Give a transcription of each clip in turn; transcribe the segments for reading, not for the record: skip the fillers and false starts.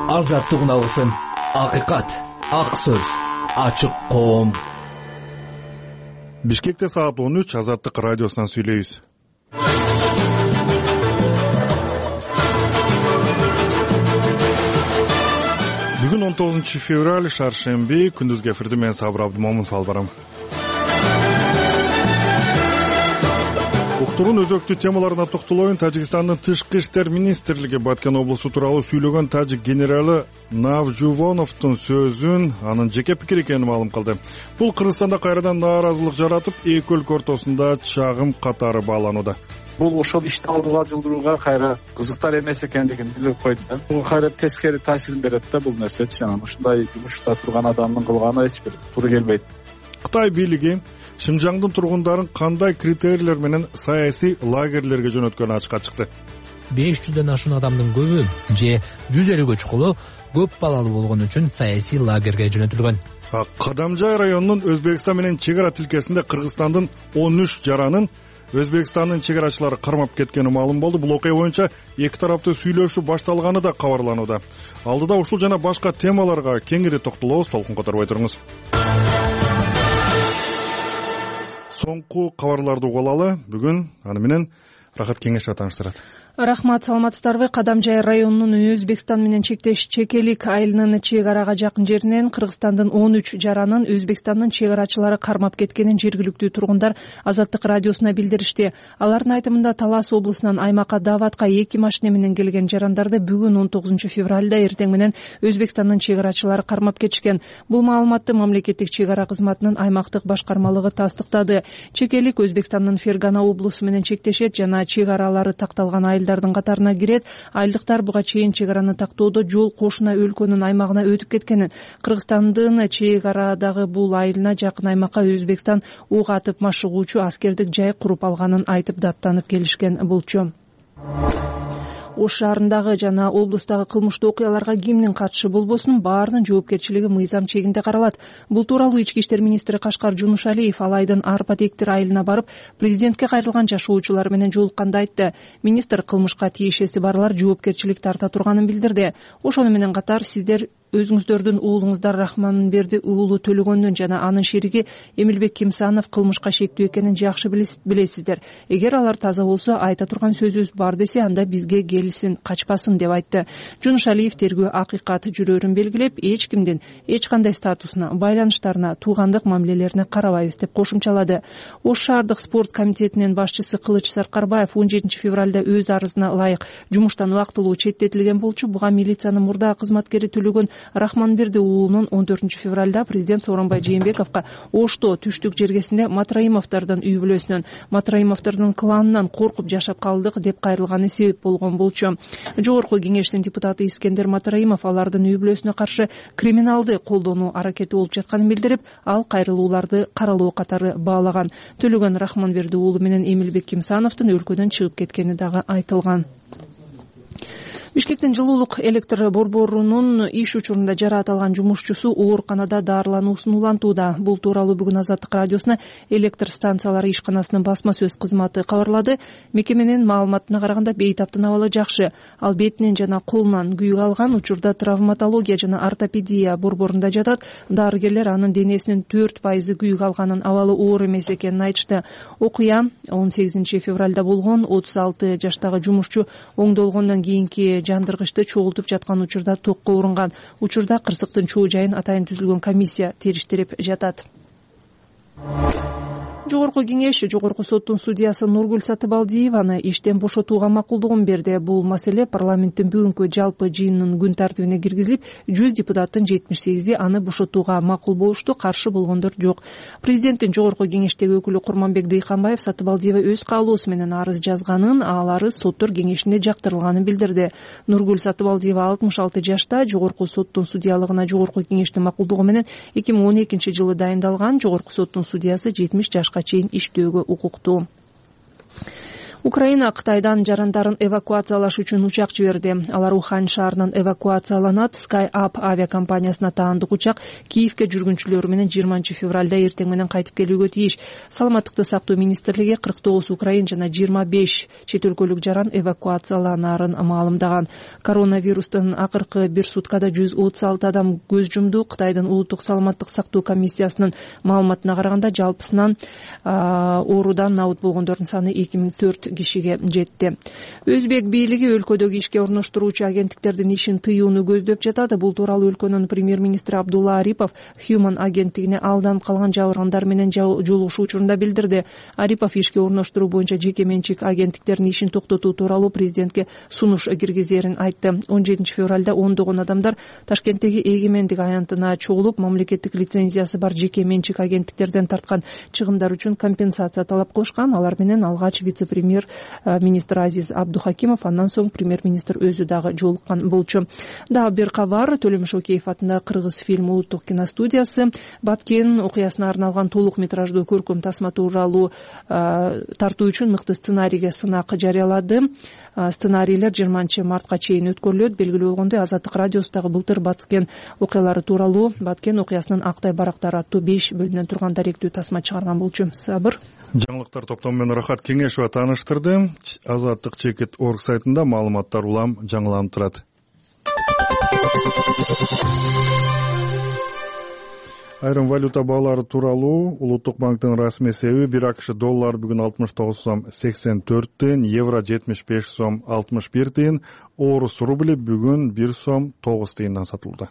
Азаттык алгысын, акыйкат, ак сөз, ачык коом. Бишкекте саат 13 Азаттык радиосунан сүйлөйбүз. Бүгүн 19 февраль, шаршемби, күндүзгү эфирде мен Сабыр Абдымомунов алып барам. Уктурун өзөктүү темаларына токтолоюн. Тажикстандын тышкы иштер министрлиги Баткен облусу тууралуу сүйлөгөн тажик генералы Навжувоновдун сөзүн анын жеке пикири экенин маалым кылды. Бул Кыргызстанда кайрадан нааразылык жаратып, эки өлкө ортосунда чагым катары бааланууда. Бул ошол ишти алдыга жылдырууга кайра кызыктар эмес экендигин билип койду. Бул кайра тескери таасирин берет да бул нерсечи. Ушундай жумушта турган адамдын кылганы эч бир туура келбейт. Кытай бийлиги Шимжаңдын тургундарын кандай критерийлер менен саясий лагерлерге жөнөткөнү ачыкка чыкты. 500дөн ашуун адамдын көбү же 150 көчкүлө көп балалуу болгон үчүн саясий лагерге жөнөтүлгөн. Кадамжай районунун Өзбекстан менен чек ара тилкесинде Кыргызстандын 13 жаранын Өзбекстандын чек арачылары кармап кеткени маалым болду. Бул окуя боюнча эки тараптуу сүйлөшүү башталганы да кабарланууда. Алдыда ушул жана башка темаларга кеңири токтолобуз, толкун которбой туруңуз. Соңку кабарларды угулалы. Бүгүн аны менен Рахат Кеңешова тааныштырат. Рахмат, саламатсыздарбы? Кадамжай районунун Өзбекстан менен чектеш Чекелик айылынын чек арага жакын жеринен Кыргызстандын 13 жаранын Өзбекстандын чек арачылары кармап кеткенин жергиликтүү тургундар Азаттык радиосуна билдиришти. Алардын айтымында Талас облусунан аймакка даватка 2 машина менен келген жарандарды бүгүн 19 февралда эртең менен Өзбекстандын чек арачылары кармап кетишкен. Бул маалыматты мамлекеттик чек ара кызматынын аймактык башкармалыгы тастыктады. Чекелик Өзбекстандын Фергана облусу менен чектешет жана чек аралары такталган айылдардын катарына кирет. Айылдыктар буга чейин чек араны тактоодо жол кошуна өлкөнүн аймагына өтүп кеткенин, Кыргызстандын чек арадагы бул айылына жакын аймакка Өзбекстан ок атып машыгуучу аскердик жай куруп алганын айтып даттанып келишкен болчу. Ош шаарындагы жана облустагы кылмыштуу окуяларга кимдин катышы болбосун баарынын жоопкерчилиги мыйзам чегинде каралат. Бул тууралуу Ички иштер министри Кашкар Жунушалиев ал айдын Арпатектир айылына барып, президентке кайрылган жашоочулар менен жолукканда айтты. Министр кылмышка тиешеси барлар жоопкерчилик тарта турганын билдирди. Ошону менен катар сиздер өзүңүздөрдүн уулуңуздар Рахманберди уулу Төлөгөндүн жана анын шериги Эмилбек Кимсанов кылмышка шектүү экенин жакшы билесиздер. Эгер алар таза болсо, айта турган сөзүбүз бар десе, анда бизге келсин, качпасын деп айтты. Жунушалиев тергөө акыйкат жүрөрүн белгилеп, эч кимдин эч кандай статусуна, байланыштарына, туугандык мамилелерине карабайбыз деп кошумчалады. Ош шаардык спорт комитетинин башчысы Кылыч Саркарбаев 17 февралда өз арызына ылайык жумуштан убактылуу четтетилген болчу. Буга милициянын мурдагы кызматкери Төлөгөн Рахманберди уулунун 14 февралда президент Сооронбай Жээнбековго Ошто түштүк жергесинде Матраимовдордун үй бүлөсүнөн, Матраимовдордун кланынан коркуп жашап калдык деп кайрылганы себеп болгон болчу. Жогорку кеңештин депутаты Искендер Матраимов алардын үй бүлөсүнө каршы криминалды колдонуу аракети болуп жатканын билдирип, ал кайрылууларды каралоо катары баалаган. Төлөгөн Рахманберди уулу менен Эмилбек Кимсановдун өлкөдөн чыгып кеткени дагы айтылган. Бишкектин жылуулук электр борборунун иш учурунда жараат алган жумушчусу ооруканада даарылануусун улантууда. Бул тууралуу бүгүн Азаттык радиосуна электр станциялары ишканасынын басма сөз кызматы кабарлады. Мекеменин маалыматына караганда бейтаптын абалы жакшы. Ал бетинен жана колунан күйүк алган, учурда травматология жана ортопедия борборунда жатат. Дарыгерлер анын денесинин 4% күйүк алганын, абалы оор эмес экенин айтышты. Окуя 18 февралда болгон. 36 жаштагы жумушчу оңдолгондон кийинки жандыргычты чогултуп жаткан учурда токко урунган. Учурда кырсыктын чоо жайын атайын түзүлгөн комиссия териштирип жатат. Жогорку кеңеш Жогорку соттун судьясы Нургүл Сатыбалдиеваны иштен бошотууга макулдугун берди. Бул маселе парламенттин бүгүнкү жалпы жыйынынын күн тартибине киргизилип, 100 депутаттын 78 аны бошотууга макул болушту, каршы болгондор жок. Президенттин Жогорку кеңештеги өкүлү Курманбек Дыйканбаев Сатыбалдиева өз каалоосу менен арыз жазганын, ал арыз соттор кеңешинде жактырылганын билдирди. Нургүл Сатыбалдиева 66 жашта, Жогорку соттун судьялыгына Жогорку кеңештин макулдугу менен 2012 жылы дайындалган. Жогорку соттун судьясы 70 жашка чейин иштөөгө укуктуу. Украина Кытайдан жарандарын эвакуациялаш үчүн учак жиберди. Алар Ухань шаарынан эвакуацияланат. SkyUp авиакомпаниясына таандык учак Киевге жүргүнчүлөр менен 20 февралда эртең менен кайтып келүүгө тийиш. Саламаттыкты сактоо министрлиги 49 украин жана 25 чет өлкөлүк жаран эвакуацияланарын маалымдаган. Коронавирустун акыркы бир суткада 136 адам көз жумду. Кытайдын улуттук саламаттык сактоо комиссиясынын маалыматына караганда жалпысынан оорудан набыт болгондордун саны 2004 кишиге жетти. Өзбек бийлиги өлкөдөгү ишке орноштуруучу агенттиктердин ишин тыюуну көздөп жатат. Бул тууралуу өлкөнүн премьер-министри Абдулла Арипов Human агенттигине алданып калган жабыргандар менен жолугушуу учурунда билдирди. Арипов ишке орноштуруу боюнча жеке менчик агенттиктердин ишин токтотуу тууралуу президентке сунуш киргизерин айтты. 17 февралда ондогон адамдар Ташкенттеги эгемендик аянтына чогулуп, мамлекеттик лицензиясы бар жеке менчик агенттиктерден тарткан чыгымдар үчүн компенсация талап кылышкан. Алар менен алгач вице-премьер-министр Азиз Абдухакимов, андан соң премьер-министр өзү дагы жолуккан болчу. Дагы бир кабар. Төлөм Шокеев атындагы Кыргыз фильм улуттук киностудиясы Баткен окуясына арналган толук метраждуу көркөм тасма тууралуу тартуу үчүн мыкты сценарийге сынак жарыялады. Сценарийлер 20 мартка чейин өткөрүлөт. Белгилүү болгондой, Азаттык радиосундагы былтыр Баткен окуялары тууралуу Баткен окуясынын Актай барактары аттуу 5 бөлүмдөн турган даректүү тасма чыгарган болчу. Сабыр. Жаңылыктар топтому менен Рахат Кеңешова тааныштырды. Азаттык чекит орг сайтында маалыматтар улам жаңыланып турат. Айрым валюта баалары тууралуу Улуттук банктын расмий эсеби 1 АКШ доллар бүгүн 69 сом 84 тыйын, евро 75 сом 61 тыйын, орус рубли бүгүн 1 сом 9 тыйындан сатылды.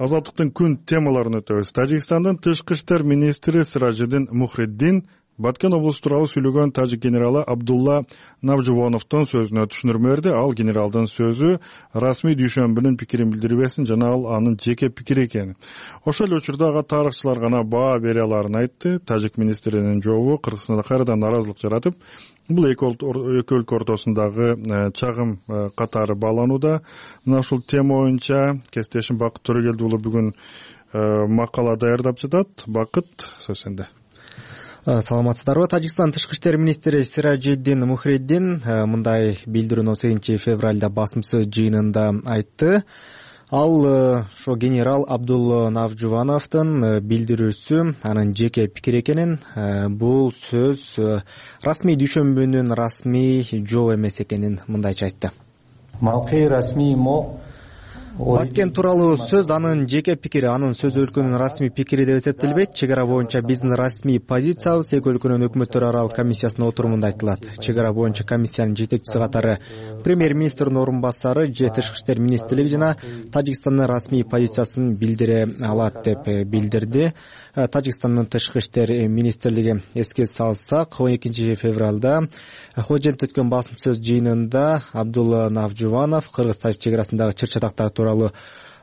Азаттыктын күн темаларын өтөбүз. Тажикстандын тышкы иштер министри Сиражиддин Мухриддин Баткен облусу тууралуу сүйлөгөн тажик генералы Абдулла Навжубоновдун сөзүнө түшүндүрмө берди. Ал генералдын сөзү расмий дүйшөмбүнүн пикирин билдирбесин жана ал анын жеке пикири экенин. Ошол эле учурда ага тарыхчылар гана баа бере аларын айтты. Тажик министринин жообу Кыргызстанда кайрадан наразылык жаратып, бул эки өлкө ортосундагы чагым катары бааланууда. Мына ушул тема боюнча кесиптешим Бакыт Төрөгелди уулу бүгүн макала даярдап жатат. Бакыт, сөз сенде. Саламатсыздарбы? Тажикстан тышкы иштер министри Сиражиддин Мухриддин мындай билдирүүнү 8 февралда басым сөз жыйынында айтты. Ал ошо генерал Абдулла Навжубановдун билдирүүсү анын жеке пикири экенин, бул сөз расмий дүйшөмбүнүн расмий жооп эмес экенин мындайча айтты. Баткен тууралуу сөз анын жеке пикири, анын сөзү өлкөнүн расмий пикири деп эсептелбейт. Чек ара боюнча биздин расмий позициябыз эки өлкөнүн өкмөттөр аралык комиссиясынын отурумунда айтылат. Чек ара боюнча комиссиянын жетекчиси катары премьер-министрдин орун басары же тышкы иштер министрлиги жана Тажикстандын расмий позициясын билдире алат деп билдирди. Тажикстандын тышкы иштер министрлиги, эске салсак, 12 февралда Хожентте өткөн басым сөз жыйынында Абдулла Навжубанов Кыргыз-Тажик чек арасындагы чыр-чатактар тууралуу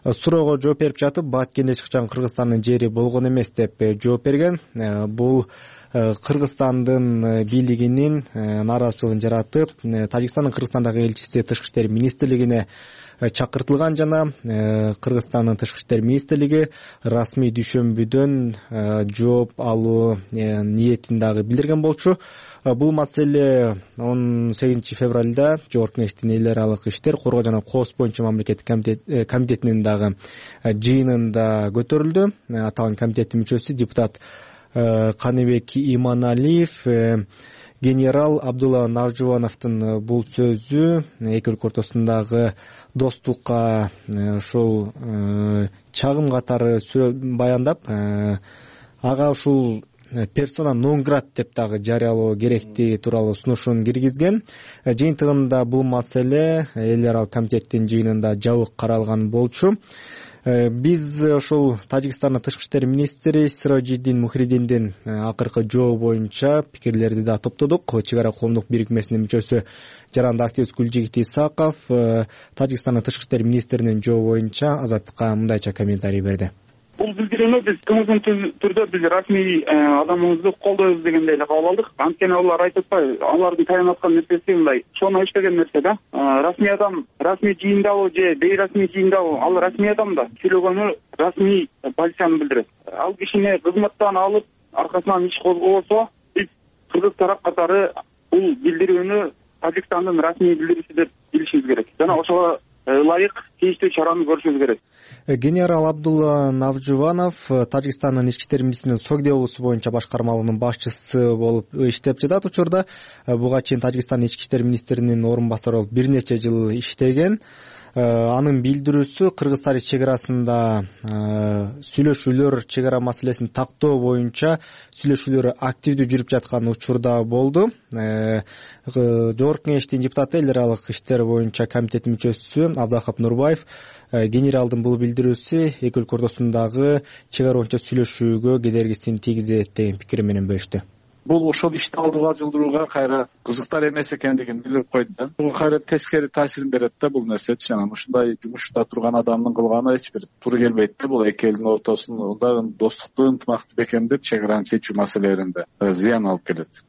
суроого жооп берип жатып, Баткенде эч качан Кыргызстандын жери болгон эмес деп жооп берген. Бул Кыргызстандын бийлигинин нааразычылыгын жаратып, Тажикстандын Кыргызстандагы элчиси тышкы иштер министрлигине чакыртылган жана Кыргызстандын тышкы иштер министрлиги расмий дүйшөмбүдөн жооп алуу ниетин дагы билдирген болчу. Бул маселе 18 февралда Жогорку Кеңештин эл аралык иштер, коргоо жана кооз боюнча мамлекеттик комитетинин дагы жыйынында көтөрүлдү. Аталган комитеттин мүчөсү депутат Каныбек Иманалиев генерал Абдулла Навжубановдун бул сөзү эки өлкө ортосундагы достукка ушул чагым катары баяндап, ага ушул персона нон грат деп дагы жарыялоо керектиги тууралуу сунушун киргизген. Жыйынтыгында бул маселе эл аралык комитеттин жыйынында жабык каралган болчу. Биз ошол Тажикстандын тышкы иштер министри Сиражиддин Мухриддиндин акыркы жообу боюнча пикирлерди да топтодук. Чек ара коомдук бирикмесинин мүчөсү жаранды активист Гүлжигит Исаков Тажикстандын тышкы иштер министринин жообу боюнча Азаттыкка мындайча комментарий берди. Бул билдирүүнү биз кымыздын түрдө биз расмий адамыбызды колдойбуз дегендей эле кабыл алдык. Анткени алар айтып атпайбы, алардын таяп аткан нерсеси мындай шоно иштеген нерсе да. Расмий адам расмий жыйындабы же бейрасмий жыйындабы, ал расмий адам да сүйлөгөнү расмий позицияны билдирет. Ал кишини кызматтан алып аркасынан иш козгобосо, биз кыргыз тарап катары бул билдирүүнү Тажикстандын расмий билдирүүсү деп билишибиз керек жана ошого ылайык тийиштүү чараны көрүшүбүз керек. Генерал Абдулла Навжубанов Тажикстандын ички иштер министринин Согди облусу боюнча башкармалыгынын башчысы болуп иштеп жатат. Учурда буга чейин Тажикстандын ички иштер министринин орун басары болуп бир нече жыл иштеген. Анын билдирүүсү Кыргыз Тарый чек арасында сүйлөшүүлөр, чек ара маселесин тактоо боюнча сүйлөшүүлөр активдүү жүрүп жаткан учурда болду. Жогорку Кеңештин депутаты, эл аралык иштер боюнча комитеттин мүчөсү Абдахап Нурбаев генералдын бул билдирүүсү эки өлкө ортосундагы чек ара боюнча сүйлөшүүгө кедергисин тийгизет деген пикири менен бөлүштү. Бул ошол ишти алдыга жылдырууга кайра кызыктар эмес экендигин билдирип койду да. Бул кайра тескери таасирин берет да бул нерсечи. Анан ушундай жумушта турган адамдын кылганы эч бир туура келбейт да. Бул эки элдин ортосунда достукту, ынтымакты бекемдеп чек араны чечүү маселелеринде зыян алып келет.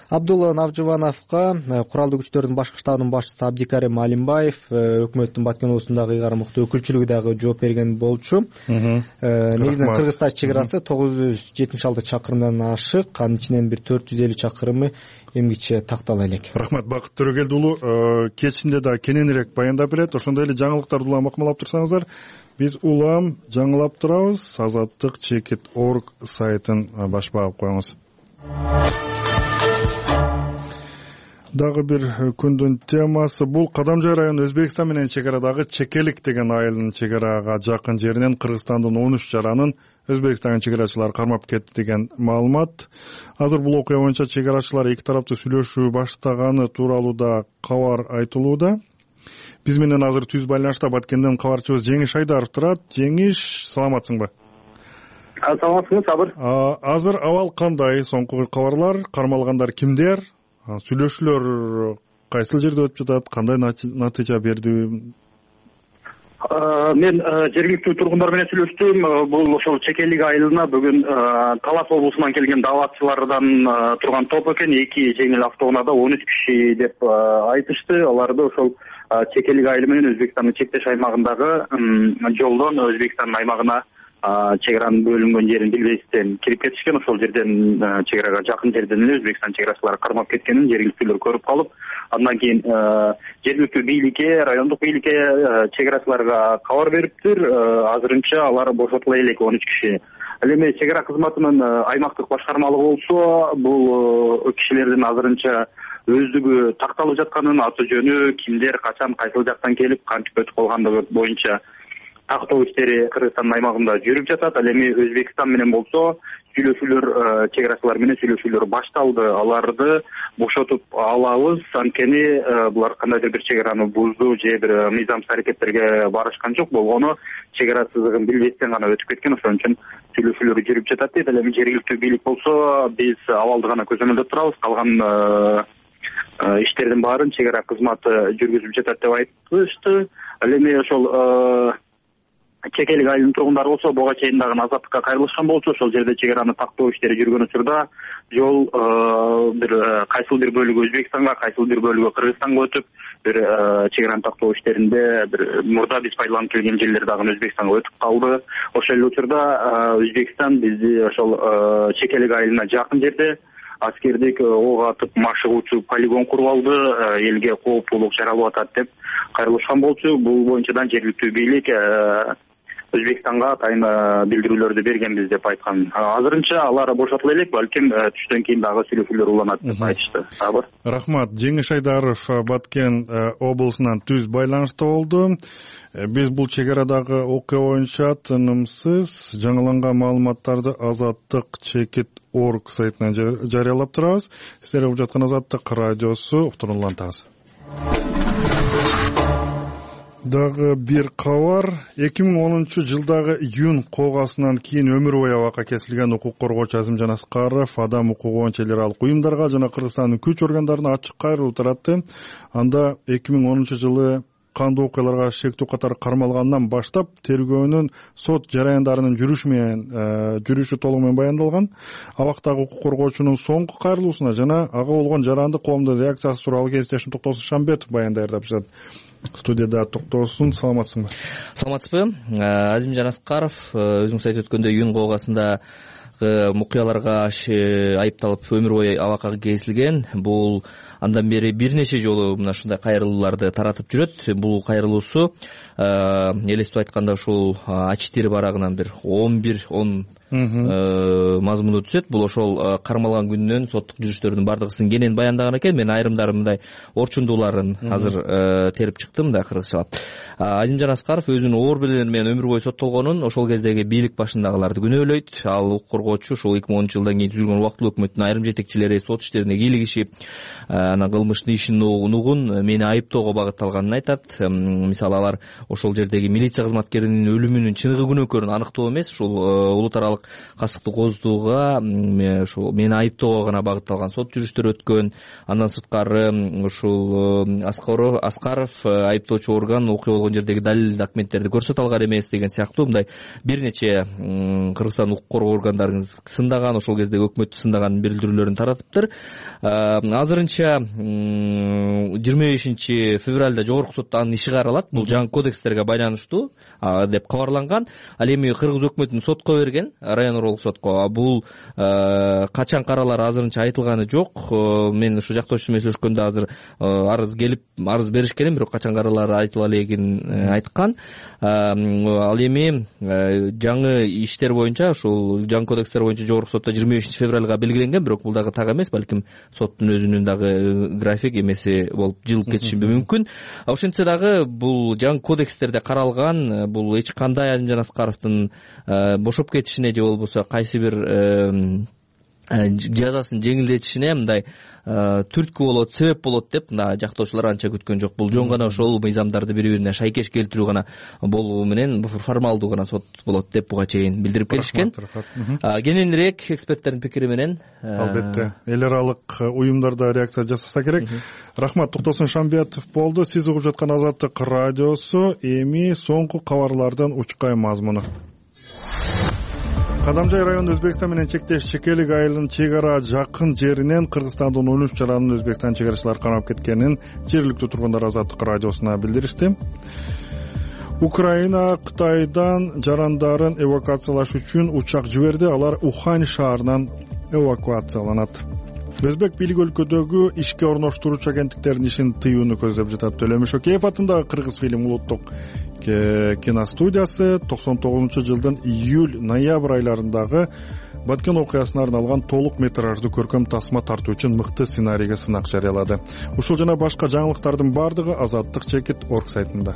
Абдулла Навжубановго куралдуу күчтөрдүн башкы штабынын башчысы Абдикарим Алимбаев, өкмөттүн Баткен облусундагы ыйгарым укуктуу өкүлчүлүгү дагы жооп берген болчу. Негизинен Кыргыз Тарый чек арасы 976 чакырымдан ашык, анын ичинен бир 450 чакырымы эмгиче тактала элек. Рахмат, Бакыт Төрөгелди уулу кечинде да кененирээк баяндап берет. Ошондой эле жаңылыктарды улам окумалап турсаңыздар, биз улам жаңылап турабыз. Азаттык Чекит.org сайтын баш багып коюңуз. Дагы бир күндүн темасы бул Кадамжай району Өзбекстан менен чек арадагы Чекелик деген айылдын чек арага жакын жеринен Кыргызстандын 13 жаранын Өзбекстандын чек арачылары кармап кетти деген маалымат. Азыр бул окуя боюнча чек арачылар эки тараптуу сүйлөшүү баштаганы тууралуу да кабар айтылууда. Биз менен азыр түз байланышта Баткенден кабарчыбыз Жеңиш Айдаров турат. Жеңиш, саламатсыңбы? Саламатсызбы, Сабыр? Азыр абал кандай? Соңку кабарлар, кармалгандар кимдер? Сүйлөшүүлөр кайсыл жерде өтүп жатат, кандай натыйжа берди? Мен жергиликтүү тургундар менен сүйлөштүм. Бул ошол Чекелик айылына бүгүн Талас облусунан келген даватчылардан турган топ экен. Эки жеңил автоунаада 13 киши деп айтышты. Аларды ошол Чекелик айылы менен Өзбекстандын чектеш аймагындагы жолдон Өзбекстандын аймагына чек аранын бөлүнгөн жерин билбестен кирип кетишкен. Ошол жерден чек арага жакын жерден эле Өзбекстан чек арачылары кармап кеткенин жергиликтүүлөр көрүп калып, андан кийин жергиликтүү бийликке, райондук бийликке, чек арачыларга кабар бериптир. Азырынча алар бошотула элек 13 киши. Ал эми чек ара кызматынын аймактык башкармалыгы болсо, бул кишилердин азырынча өздүгү такталып жатканын, аты жөнү, кимдер, качан, кайсыл жактан келип, кантип өтүп калгандыгы боюнча тактоо иштери Кыргызстандын аймагында жүрүп жатат. Ал эми Өзбекстан менен болсо сүйлөшүүлөр, чек арачылар менен сүйлөшүүлөр башталды. Аларды бошотуп алабыз, анткени булар кандайдыр бир чек араны бузду же бир мыйзамсыз аракеттерге барышкан жок. Болгону чек ара сызыгын билбестен гана өтүп кеткен. Ошон үчүн сүйлөшүүлөр жүрүп жатат дейт. Ал эми жергиликтүү бийлик болсо биз абалды гана көзөмөлдөп турабыз. Калган иштердин баарын чек ара кызматы жүргүзүп жатат деп айтышты. Ал эми ошол Чекелик айылынын тургундары болсо буга чейин дагы азаттыкка кайрылышкан болчу. Ошол жерде чек араны тактоо иштери жүргөн учурда жол бир кайсыл бир бөлүгү Өзбекстанга, кайсыл бир бөлүгү Кыргызстанга өтүп, бир чек араны тактоо иштеринде бир мурда биз пайдаланып келген жерлер дагы Өзбекстанга өтүп калды. Ошол эле учурда Өзбекстан бизди ошол Чекелик айылына жакын жерде аскердик ок атып машыгуучу полигон куруп алды, элге кооптуулук жаралып атат деп кайрылышкан болчу. Бул боюнча да жергиликтүү бийлик Өзбекстанга атайын билдирүүлөрдү бергенбиз деп айткан. Азырынча алар бошотула элек, балким түштөн кийин дагы сүйлөшүүлөр уланат деп айтышты. Рахмат. Жеңиш Айдаров Баткен облусунан түз байланышта болду. Биз бул чек арадагы окуя боюнча тынымсыз жаңыланган маалыматтарды Азаттык Чекит.org сайтынан жарыялап турабыз. Сиздер угуп жаткан Азаттык радиосу, уктуруулантабыз. Дагы бир кабар. 2010-жылдагы июнь коогасынан кийин өмүр бою абакка кесилген укук коргоочу Азимжан Аскаров адам укугу боюнча эл аралык уюмдарга жана Кыргызстандын күч органдарына ачык кайрылуу таратты. Анда 2010-жылы кандуу окуяларга шектүү катары кармалгандан баштап тергөөнүн сот жараяндарынын жүрүшү толугу менен баяндалган. Абактагы укук коргоочунун соңку кайрылуусуна жана ага болгон жарандык коомдун реакциясы тууралуу кесиптешим Токтосун Шамбетов баяндай жатат. Студияда Токтосун, саламатсыңбы? Саламатсызбы? Азимжан Аскаров өзүңүз айтып өткөндөй ЮНГО оогасында окуяларга айыпталып өмүр бою абакка кесилген. Бул андан бери бир нече жолу мына ушундай кайрылууларды таратып жүрөт. Бул кайрылуусу элестип айтканда ушул А4 барагынан бир 10 мазмуну түзөт. Бул ошол кармалган күнүнөн соттук жүрүштөрдүн бардыгысын кенен баяндаган экен. Мен айрымдары мындай орчундууларын азыр терип чыктым да кыргызчалап. Азимжан Аскаров өзүнүн оор белелери менен өмүр бою соттолгонун, ошол кездеги бийлик башындагыларды күнөөлөйт. Ал укук коргоочу ушул 2010 жылдан кийин түзүлгөн убактылуу өкмөттүн айрым жетекчилери сот иштерине кийлигишип, анан кылмыштын ишин угун мени айыптоого багытталганын айтат. Мисалы алар ошол жердеги милиция кызматкеринин өлүмүнүн чыныгы күнөөкөрүн аныктоо эмес, ушул улут аралык касыктуу кооздууга ушул мени айыптоого гана багытталган сот жүрүштөр өткөн. Андан сырткары ушул Аскаров айыптоочу орган окуя болгон жердеги далил документтерди көрсөтө алган эмес деген сыяктуу мындай бир нече Кыргызстан укук коргоо органдарын сындаган, ошол кездеги өкмөттү сындаган билдирүүлөрүн таратыптыр. Азырынча 25 февралда жогорку сотто анын иши каралат. Бул жаңы кодекстерге байланыштуу деп кабарланган. Ал эми кыргыз өкмөтүн сотко берген, район уруулук сотко. Бул качан каралары азырынча айтылганы жок. Мен ушу жактоочу менен сүйлөшкөндө азыр арыз беришкен, бирок качан каралары айтыла элегин айткан. Ал эми жаңы иштер боюнча, ушул жаңы кодекстер боюнча жогорку сотто 25 февралга белгиленген, бирок бул дагы так эмес, балким соттун өзүнүн дагы график эмеси болуп жылып кетиши мүмкүн. Ошентсе дагы бул жаңы кодекстерде каралган, бул эч кандай Азимжан Аскаровдун бошоп кетишине же болбосо кайсы бир жазасын жеңилдетишине мындай түрткү болот, себеп болот деп жактоочулар анча күткөн жок. Бул жөн гана ошол мыйзамдарды бири-бирине шайкеш келтирүү гана болуу менен формалдуу гана сот болот деп буга чейин билдирип келишкен. Кененирээк эксперттердин пикири менен албетте эл аралык уюмдарда реакция жасаса керек. Рахмат. Токтосун Шамбетов болду. Сиз угуп жаткан Азаттык радиосу. Эми соңку кабарлардын учкай мазмуну. Кадамжай району Өзбекстан менен чектеш Чекелик айылынын чек ара жакын жеринен Кыргызстандын 13 жаранын Өзбекстан чек арачылары кармап кеткенин жергиликтүү тургундар Азаттык радиосуна билдиришти. Украина Кытайдан жарандарын эвакуациялаш үчүн учак жиберди. Алар Ухань шаарынан эвакуацияланат. Өзбек бийлиги өлкөдөгү ишке орноштуруучу агенттиктердин ишин тыюуну көздөп жатат. Төлөмүш Океев атындагы Кыргыз фильм улуттук киностудиясы 99-жылдын июль-ноябрь айларындагы Баткен окуясына арналган толук метраждуу көркөм тасма тартуу үчүн мыкты сценарийге сынак жарыялады. Ушул жана башка жаңылыктардын бардыгы Азаттык.org сайтында.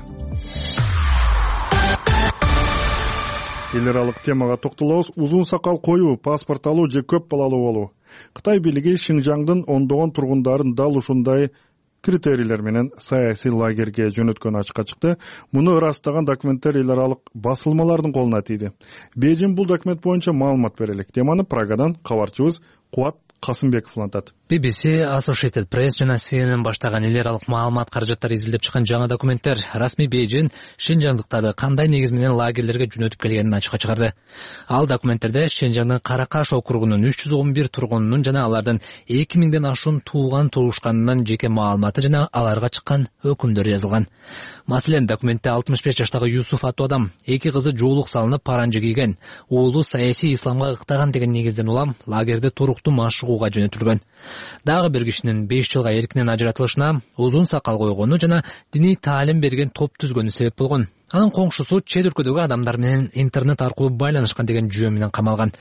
Эл аралык темага токтолобуз. Узун сакал коюу, паспорт алуу же көп балалуу болуу. Кытай бийлиги Шинжаңдын ондогон тургундарын дал ушундай критерийлер менен саясий лагерге жөнөткөнү ачыкка чыкты. Муну ырастаган документтер эл аралык басылмалардын колуна тийди. Бейжин бул документ боюнча маалымат бере элек. Теманы Прагадан кабарчыбыз Кубат Касымбеков улантат. BBC, Associated Press жана CNN баштаган эл аралык маалымат каражаттары изилдеп чыккан жаңы документтер расмий Бейжин Шинжаңдыктарды кандай негиз менен лагерлерге жөнөтүп келгенин ачыкка чыгарды. Ал документтерде Шинжаңдын Каракаш округунун 311 тургунунун жана алардын 2000ден ашуун тууган-туушканынын жеке маалыматы жана аларга чыккан өкүмдөр жазылган. Маселен, документте 65 жаштагы Юсуф аттуу адам 2 кызы жоолук салынып паранжы кийген, уулу саясий исламга ыктаган деген негизден улам лагерде туруктуу машыгууга жөнөтүлгөн. Дагы бир кишинин 5 жылга эркинен ажыратылышына узун сакал койгону жана диний таалим берген топ түзгөнү себеп болгон. Анын коңшусу чет өлкөдөгү адамдар менен интернет аркылуу байланышкан деген жүйө менен камалган.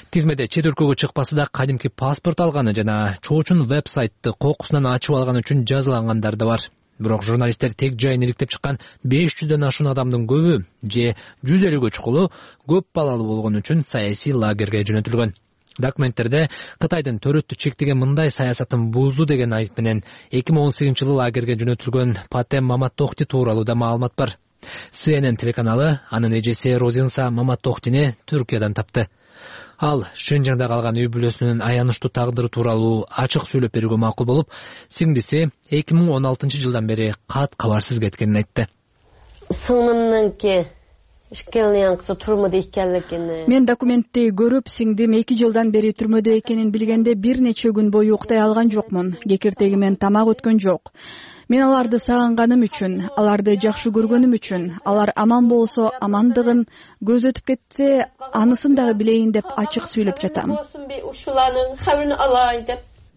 Тизмеде чет өлкөгө чыкпасы да кадимки паспорт алганы жана чоочун веб-сайтты кокусунан ачып алган үчүн жазалангандар да бар. Бирок журналисттер тег жайын иликтеп чыккан 500дөн ашуун адамдын көбү же 150гө чукулу көп балалуу болгон үчүн саясий лагерге жөнөтүлгөн. Документтерде Кытайдын төрөттү чектеген мындай саясатын бузду деген айып менен 2018-жылы лагерге жөнөтүлгөн Патем Маматтохти тууралуу да маалымат бар. CNN телеканалы анын эжеси Розинса Маматтохтини Түркиядан тапты. Ал Шинжаңда калган үй бүлөсүнүн аянычтуу тагдыры тууралуу ачык сүйлөп берүүгө макул болуп, сиңдиси 2016-жылдан бери кат кабарсыз кеткенин айтты. Мен документти көрүп, сиңдим 2 жылдан бери түрмөдө экенин билгенде бир нече күн бою уктай алган жокмун. Кекиртегимен тамак өткөн жок. Мен аларды сагынганым үчүн, аларды жакшы көргөнүм үчүн, алар аман болсо амандыгын, көз өтүп кетсе анысын дагы билейин деп ачык сүйлөп жатам.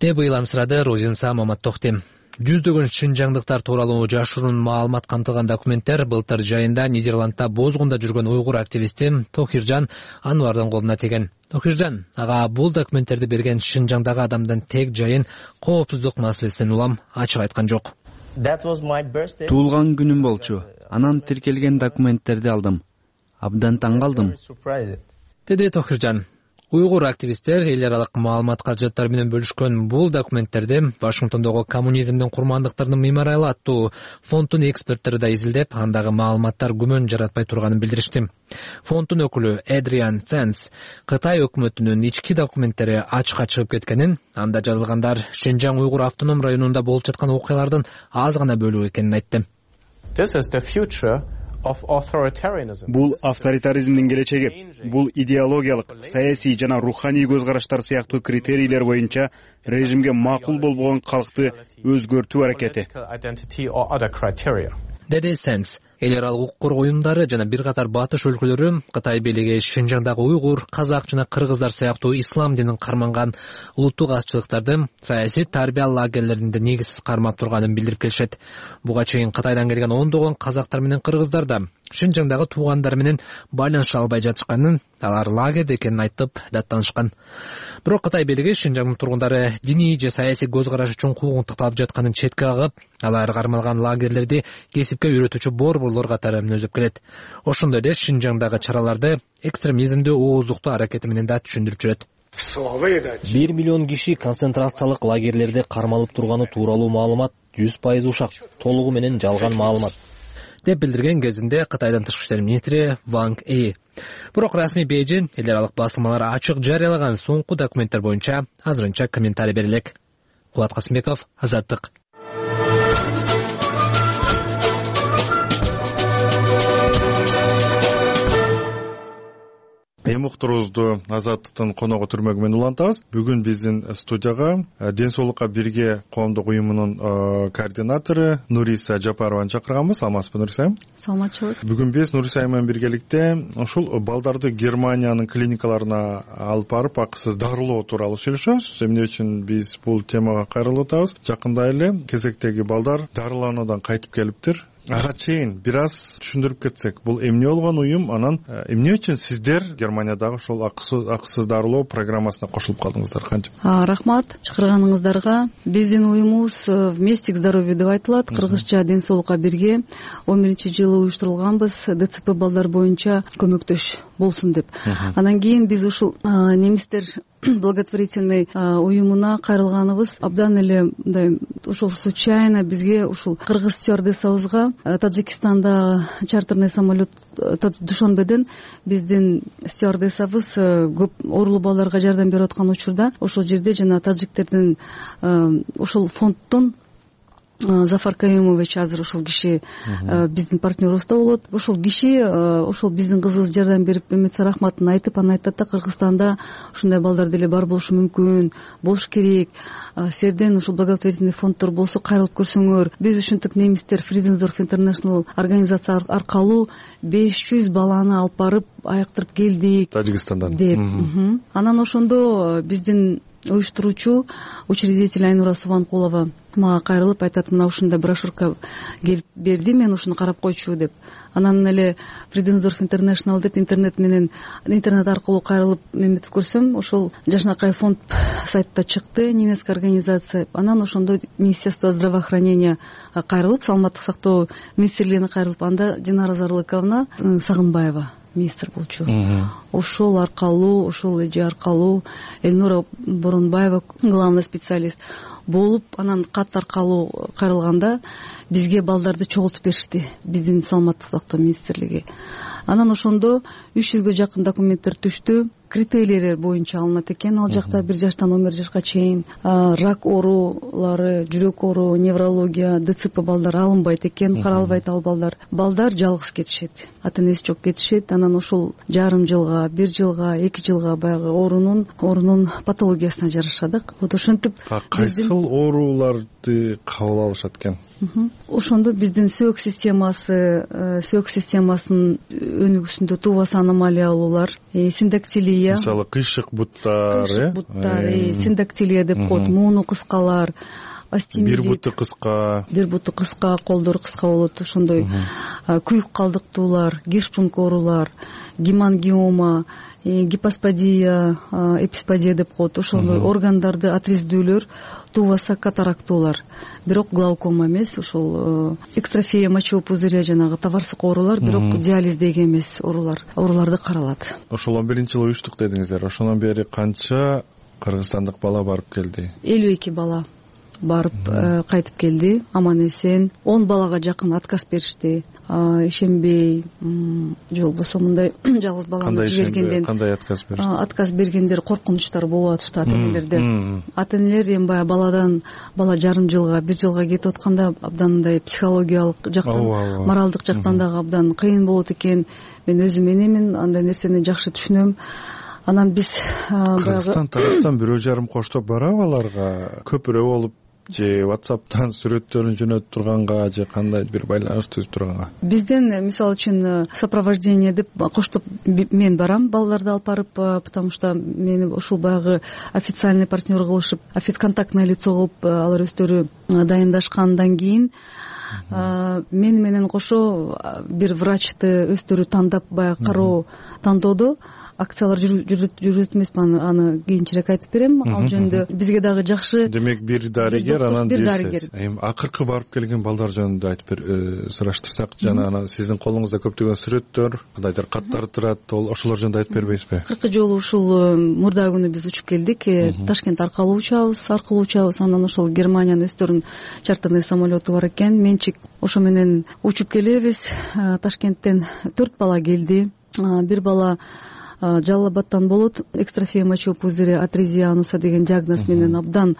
деп ыйламсырады Розинса Маматтохти. Жүздөгөн шинжаңдыктар тууралуу жашыруун маалымат камтылган документтер былтыр жайында Нидерландда бозгунда жүргөн уйгур активисти Тохиржан Анвардын колуна тийген. Тохиржан ага бул документтерди берген Шинжаңдагы адамдын тег жайын коопсуздук маселесинен улам ачык айткан жок. Туулган күнүм болчу. Анан тиркелген документтерди алдым. Абдан таң калдым, деди Тохиржан. Уйгур активисттер эл аралык маалымат каражаттары менен бөлүшкөн бул документтерди Вашингтондогу коммунизмдин курмандыктарынын мемориалы аттуу фонддун эксперттери да изилдеп, андагы маалыматтар күмөн жаратпай турганын билдиришти. Фонддун өкүлү Эдриан Ценс Кытай өкмөтүнүн ички документтери ачыкка чыгып кеткенин, анда жазылгандар Шинжаң уйгур автоном районунда болуп жаткан окуялардын аз гана бөлүгү экенин айтты. Бул авторитаризмдин келечеги. Бул идеологиялык, саясий жана руханий көз караштар сыяктуу критерийлер боюнча режимге макул болбогон калкты өзгөртүү аракети, деди Сенс. Эл аралык укук коргоо уюмдары жана бир катар батыш өлкөлөрү Кытай бийлиги Шинжаңдагы уйгур, казак жана кыргыздар сыяктуу ислам динин карманган улуттук азчылыктарды саясий тарбия лагерлеринде негизсиз кармап турганын билдирип келишет. Буга чейин Кытайдан келген ондогон казактар менен кыргыздар да Шинжаңдагы туугандары менен байланыша албай жатышканын, алар лагерде экенин айтып даттанышкан. Бирок Кытай бийлиги Шинжаңдын тургундары диний же саясий көз караш үчүн куугунтукталып жатканын четке кагып, алар кармалган лагерлерди кесипке үйрөтүүчү борборлор катары мүнөздөп келет. Ошондой эле Шинжаңдагы чараларды экстремизмди ооздуктоо аракети менен да түшүндүрүп жүрөт. 1 миллион киши концентрациялык лагерлерде кармалып турганы тууралуу маалымат 100% ушак, толугу менен жалган маалымат, деп билдирген кезинде Кытайдын тышкы иштер министри Ванг Yi. Бирок расмий Бейжин эл аралык басылмалар ачык жарыялаган соңку документтер боюнча азырынча комментарий бере элек. Кубат Касымбеков, Азаттык. Эми уктуруубузду Азаттыктын коногу түрмөгү менен улантабыз. Бүгүн биздин студияга Ден соолукка бирге коомдук уюмунун координатору Нуриса Жапарованы чакырганбыз. Саламатсызбы, Нуриса? Саламатчылык. Бүгүн биз Нуриса менен биргеликте ушул балдарды Германиянын клиникаларына алып барып акысыз дарылоо тууралуу сүйлөшөбүз. Эмне үчүн биз бул темага кайрылып атабыз? Жакында эле кезектеги балдар дарылануудан кайтып келиптир. Ага чейин бир аз түшүндүрүп кетсек, бул эмне болгон уюм, анан эмне үчүн сиздер Германиядагы ошол акысыз дарылоо программасына кошулуп калдыңыздар, кантип? Рахмат чакырганыңыздарга. Биздин уюмубуз вместе к здоровью деп айтылат. Кыргызча Ден соолукка бирге 11-жылы уюштурулганбыз, ДЦП балдар боюнча көмөктөш болсун деп. Анан кийин биз ушул немистер благотворительный уюмуна кайрылганыбыз абдан эле мындай ошол случайно бизге ушул кыргыз стюардессабызга Таджикистанда чартерный самолет Душанбеден биздин стюардессабыз көп оорулуу балдарга жардам берип аткан учурда ошол жерде жана таджиктердин ошол фонддон Зафар Каюмович азыр ошол киши биздин партнерубузда болот. Ошол киши ошол биздин кызыбыз жардам берип эметсе рахматын айтып, анан айтат да, Кыргызстанда ушундай балдар деле бар болушу мүмкүн, болуш керек. Силерден ушул благотворительный фонддор болсо кайрылып көрсөңөр. Биз ушинтип немистер Friedensdorf International организация аркылуу 500 баланы алып барып аяктырып келдик Тажикстандан деп. Анан ошондо биздин уюштуруучу учредитель Айнура Субанкулова мага кайрылып айтат, мына ушундай брошюрка келип берди, мен ушуну карап койчу деп. Анан эле Friedensdorf International деп интернет аркылуу кайрылып эметип көрсөм, ошол Жашнакай фонд сайтта чыкты, немецкая организация. Анан ошондо Министерство здравоохранения кайрылып, саламаттык сактоо министрлигине кайрылып, анда Динара Зарлыковна Сагынбаева министр болчу. Ошол аркылуу, ошол эже аркылуу Элнура Боронбаева главный специалист болуп, анан кат аркылуу кайрылганда бизге балдарды чогултуп беришти, биздин саламаттык сактоо министрлиги. Анан ошондо 300гө жакын документтер түштү. критерийлер боюнча алынат экен. Ал жакта 1 жаштан 11 жашка чейин рак оорулары, жүрөк оору, неврология, ДЦП балдар алынбайт экен, каралбайт ал балдар. Балдар жалгыз кетишет, ата энеси жок кетишет. Анан ошол жарым жылга, 1 жылга, 2 жылга баягы оорунун патологиясына жараша да. Вот ошентип кайсыл ооруларды кабыл алышат экен? Ошондо биздин сөк системасынын өнүгүүсүндө туубасы аномалиялуулар, синдактилия, мисалы кыйшык буттар, синдактилия деп коет, мууну кыскалар, бир буту кыска, колдору кыска болот, ошондой күйүк калдыктуулар, гештунг оорулар, гемангиома, гипоспадия, эписпадия деп коет, ошондой органдарды отрездүүлөр, туубаса катарактуулар. Бирок глаукома эмес, ошол экстрофия мочевого пузыря, жанагы табарсык оорулар, бирок диализдеги эмес ооруларды каралат. Ошол 11-жылы уюштук дедиңиздер. Ошондон бери канча кыргызстандык бала барып келди? 52 бала барып кайтып келди, аман эсен. 10 балага жакын отказ беришти. Ишенбей же болбосо мындай жалгыз баланы жибергенден кандай отказ беришти? Отказ бергендер коркунучтар болуп атышты ата энелерде. Ата энелер эми баягы бала жарым жылга, 1 жылга кетип атканда абдан мындай психологиялык жактан, моралдык жактан дагы абдан кыйын болот экен. Мен өзүм энемин, андай нерсени жакшы түшүнөм. Анан биз баягы Кыргызстан тараптан 1,5 коштоп барабы аларга? Көпүрө болуп же WhatsApp'тан сүрөттөрүн жөнөтүп турганга же кандай бир байланыш түзүп турганга? Бизден мисалы үчүн сопровождение деп коштоп мен барам балдарды алып барып, потому что мени ушул баягы официальный партнер кылышып, контактное лицо кылып алар өздөрү дайындашкандан кийин мен менен кошо бир врачты өздөрү тандап, баягы кароо тандоодо акциялар жүрөт эмеспи, аны кийинчерээк айтып берем. Ал жөнүндө бизге дагы жакшы. Демек бир дарыгер, анан эми акыркы барып келген балдар жөнүндө айтып сураштырсак, жана сиздин колуңузда көптөгөн сүрөттөр, кандайдыр каттар турат, ошолор жөнүндө айтып бербейсизби? Акыркы жолу ушул мурда күнү биз учуп келдик, Ташкент аркылуу учабыз, анан ошол Германиянын өздөрүнүн чартерный самолету бар экен. Менчик ошо менен учуп келебиз. Ташкенттен 4 бала келди. Бир бала Жалал Абадтан болот, экстрофия мочевого пузыря, атрезия ануса деген диагноз менен абдан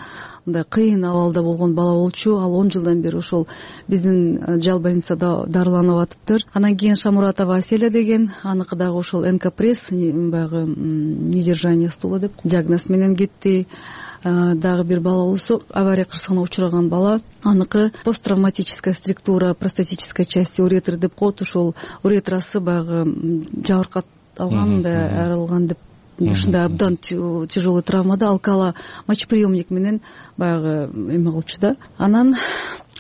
мындай кыйын абалда болгон бала болчу. Ал 10 жылдан бери ошол биздин жал больницада дарыланып атыптыр. Анан кийин Шамуратова Аселя деген, аныкы дагы ошол энкопресс, баягы недержание стула деп диагноз менен кетти. Дагы бир бала болсо авария кырсыгына учураган бала, аныкы посттравматическая структура простатической части уретры деп коет. Ошол уретрасы баягы жабыркат алган, мындай арылган деп, ушундай абдан тяжелый травмада алкала мочеприемник менен баягы эме кылчу да. Анан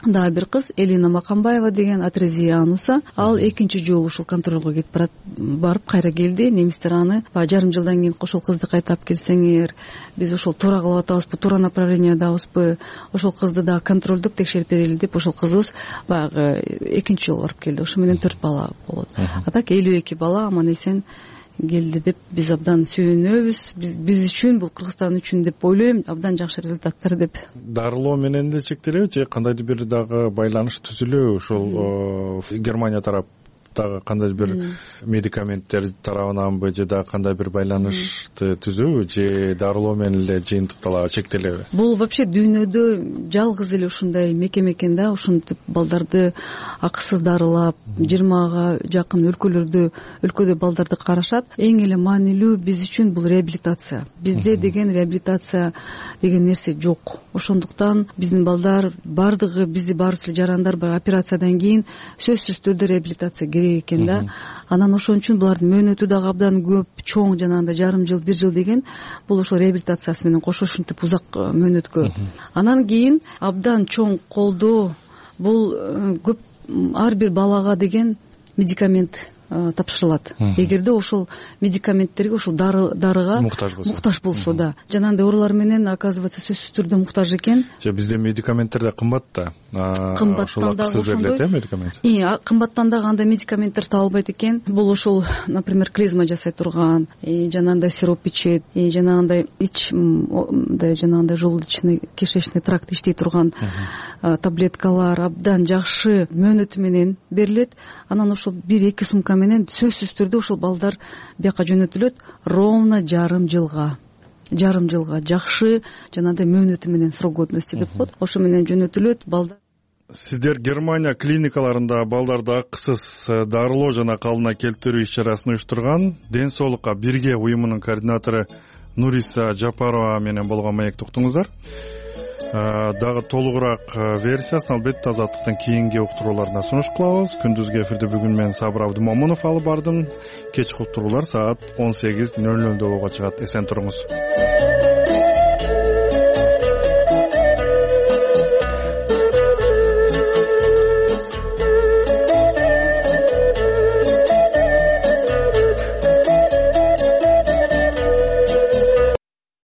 дагы бир кыз Элина Макамбаева деген, атрезия ануса. Ал экинчи жолу ушул контролго кетип барып кайра келди. Немистер аны жарым жылдан кийин ошол кызды кайта алып келсеңер, биз ошол туура кылып атабызбы, туура направлениядабызбы, ошол кызды дагы контролдоп текшерип берели деп ошол кызыбыз баягы экинчи жолу барып келди. Ошо менен 4 бала болот. А так 52 бала аман эсен келди деп биз абдан сүйүнөбүз. Биз үчүн, бул Кыргызстан үчүн деп ойлойм, абдан жакшы результаттар деп. Дарылоо менен эле чектелеби же кандайдыр бир дагы байланыш түзүлөбү? Ошол Германия тараптагы кандайдыр бир медикаменттер тарабынанбы же дагы кандай бир байланышты түзөбү же дарылоо менен эле жыйынтыкталабы, чектелеби? Бул вообще дүйнөдө жалгыз эле ушундай мекеме экен да, ушинтип балдарды акысыз дарылап, 20га жакын өлкөдө балдарды карашат. Эң эле маанилүү биз үчүн бул реабилитация. Бизде деген реабилитация деген нерсе жок. Ошондуктан биздин балдар бардыгы, бизди баарыбыз эле жарандар бар операциядан кийин сөзсүз түрдө реабилитация керек экен да. Анан ошон үчүн булардын мөөнөтү дагы абдан көп, чоң, жанагындай жарым жыл, 1 жыл деген, бул ошо реабилитациясы менен кошо ушинтип узак мөөнөткө. Анан кийин абдан чоң колдоо, бул көп ар бир балага деген медикамент тапшырылат. Эгерде ошол медикаменттерге, ошол дарыга муктаж болсо да. Жанагындай оорулар менен оказывается сөзсүз түрдө муктаж экен. Же бизде медикаменттер да кымбат да. Ошол акысыз берилет медикамент. Кымбаттан дагы андай медикаменттер табылбайт экен. Бул ошол, например, клизма жасай турган, жанагындай сироп ичет, жанагындай жанагындай желудочный кишечный тракт иштей турган таблеткалар абдан жакшы мөөнөтү менен берилет. Анан ошол 1-2 сумка менен сөзсүз түрдө ушул балдар бияка жөнөтүлөт ровно жарым жылга жакшы жанагындай мөөнөтү менен срок годности деп коет, ошо менен жөнөтүлөт балдар. Сиздер Германия клиникаларында балдарды акысыз дарылоо жана калыбына келтирүү иш чарасын уюштурган Ден соолукка бирге уюмунун координатору Нуриса Жапарова менен болгон маекти уктуңуздар. Дагы толугураак версиясын албетте Азаттыктын кийинки уктурууларына сунуш кылабыз. Күндүзгү эфирде бүгүн мен Сабыр Абдымомунов алып бардым. Кечки уктуруулар саат 18:00 болууга чыгат. Эсен туруңуз.